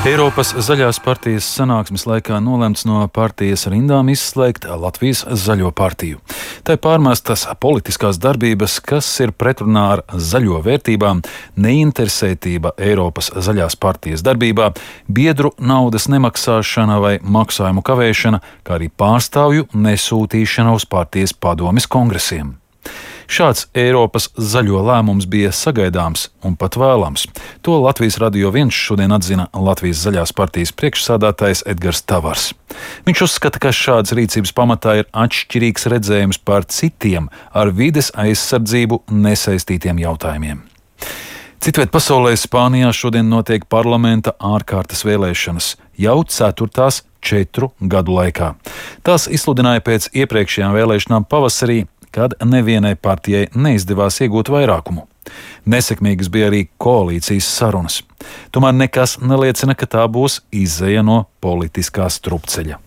Eiropas Zaļās partijas sanāksmes laikā nolemts no partijas rindām izslēgt Latvijas Zaļo partiju. Tai pārmestas politiskās darbības, kas ir pretrunā ar zaļo vērtībām, neinteresētība Eiropas Zaļās partijas darbībā, biedru naudas nemaksāšana vai maksājumu kavēšana, kā arī pārstāvju nesūtīšana uz partijas padomes kongresiem. Šāds Eiropas zaļo lēmums bija sagaidāms un pat vēlams. To Latvijas Radio 1 šodien atzina Latvijas Zaļās partijas priekšsādātājs Edgars Tavars. Viņš uzskata, ka šādas rīcības pamatā ir atšķirīgs redzējums par citiem ar vides aizsardzību nesaistītiem jautājumiem. Citviet pasaulē Spānijā šodien notiek parlamenta ārkārtas vēlēšanas, jau 4. 4 gadu laikā. Tās izsludināja pēc iepriekšējām vēlēšanām pavasarī, kad nevienai partijai neizdevās iegūt vairākumu. Nesekmīgas bija arī koalīcijas sarunas. Tomēr nekas neliecina, ka tā būs izeja no politiskā strupceļa.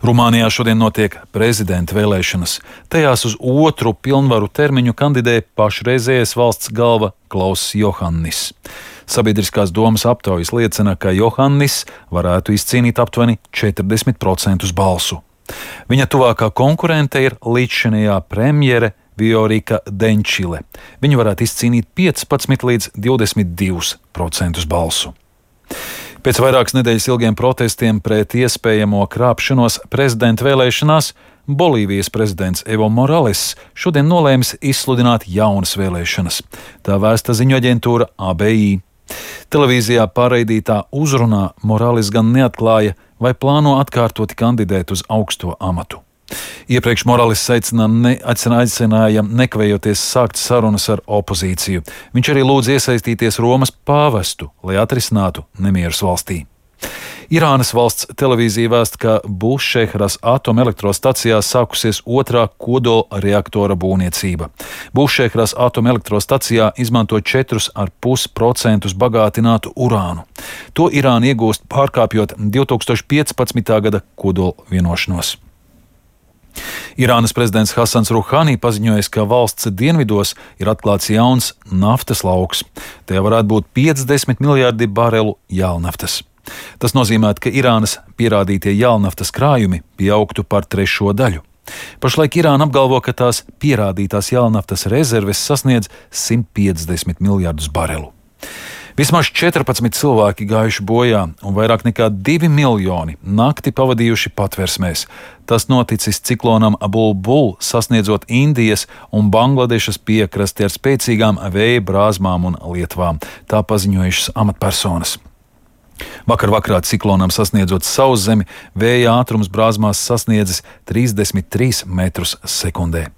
Rumānijā šodien notiek prezidenta vēlēšanas. Tajās uz otru pilnvaru termiņu kandidē pašreizējais valsts galva Klauss Johannis. Sabiedriskās domas aptaujas liecina, ka Johannis varētu izcīnīt aptuveni 40% balsu. Viņa tuvākā konkurente ir līdzšinējā premjere Viorika Denčile. Viņa varētu izcīnīt 15 līdz 22% balsu. Pēc vairākas nedēļas ilgiem protestiem pret iespējamo krāpšanos prezidenta vēlēšanās Bolīvijas prezidents Evo Morales šodien nolēmis izsludināt jaunas vēlēšanas. Tā vēsta ziņu aģentūra ABI. Televīzijā pārraidītā uzrunā Morales gan neatklāja, vai plāno atkārtoti kandidēt uz augsto amatu. Iepriekš Morales aicināja nekavējoties sākt sarunas ar opozīciju. Viņš arī lūdza iesaistīties Romas pāvestu, lai atrisinātu nemierus valstī. Irānas valsts televīzija vēsta, ka Bušehras atomelektrostacijā sākusies otrā kodola reaktora būvniecība. Bušehras atomelektrostacijā izmanto 4,5% bagātinātu urānu. To Irāna iegūst pārkāpjot 2015. gada kodola vienošanos. Irānas prezidents Hasans Ruhani paziņoja, ka valsts dienvidos ir atklāts jauns naftas lauks. Tajā varētu būt 50 miljardi barelu jālnaftas. Tas nozīmē, ka Irānas pierādītie jālnaftas krājumi pieaugtu par 1/3 daļu. Pašlaik Irāna apgalvo, ka tās pierādītās jālnaftas rezerves sasniedz 150 miljardus barelu. Vismaz 14 cilvēki gājuši bojā un vairāk nekā 2 miljoni nakti pavadījuši patversmēs. Tas noticis ciklonam Bulbul, sasniedzot Indijas un Bangladešas piekrasti ar spēcīgām vēja brāzmām un lietvām. Tā paziņojušas amatpersonas. Vakar vakarā ciklonam sasniedzot sauszemi, vēja ātrums brāzmās sasniedzis 33 metrus sekundē.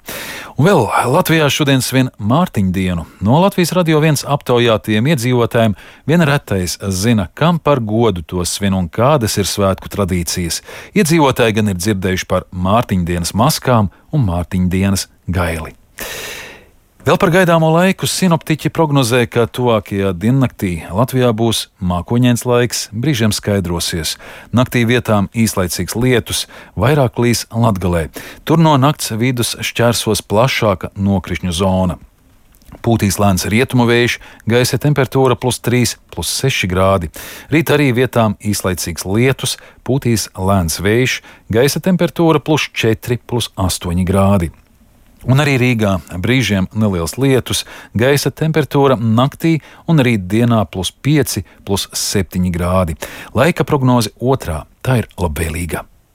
Un vēl Latvijā šodien svin Mārtiņdienu. No Latvijas Radio 1 aptaujātiem iedzīvotājiem vien retais zina, kam par godu to svin un kādas ir svētku tradīcijas. Iedzīvotāji gan ir dzirdējuši par Mārtiņdienas maskām un Mārtiņdienas gaili. Vēl par gaidāmo laiku sinoptiķi prognozē, ka tuvākajā diennaktī Latvijā būs mākoņains laiks, brīžiem skaidrosies. Naktī vietām īslaicīgs lietus, vairāk līs Latgalē. Tur no nakts vidus šķērsos plašāka nokrišņu zona. Pūtīs lēns rietumu vējš, gaisa temperatūra +3, +6 grādi. Rīt arī vietām īslaicīgs lietus, pūtīs lēns vējš, gaisa temperatūra +4, +8 grādi. Un arī Rīgā brīžiem neliels lietus, gaisa temperatūra naktī un rīt dienā +5, +7 grādi. Laika prognoze otrā, tā ir labvēlīga.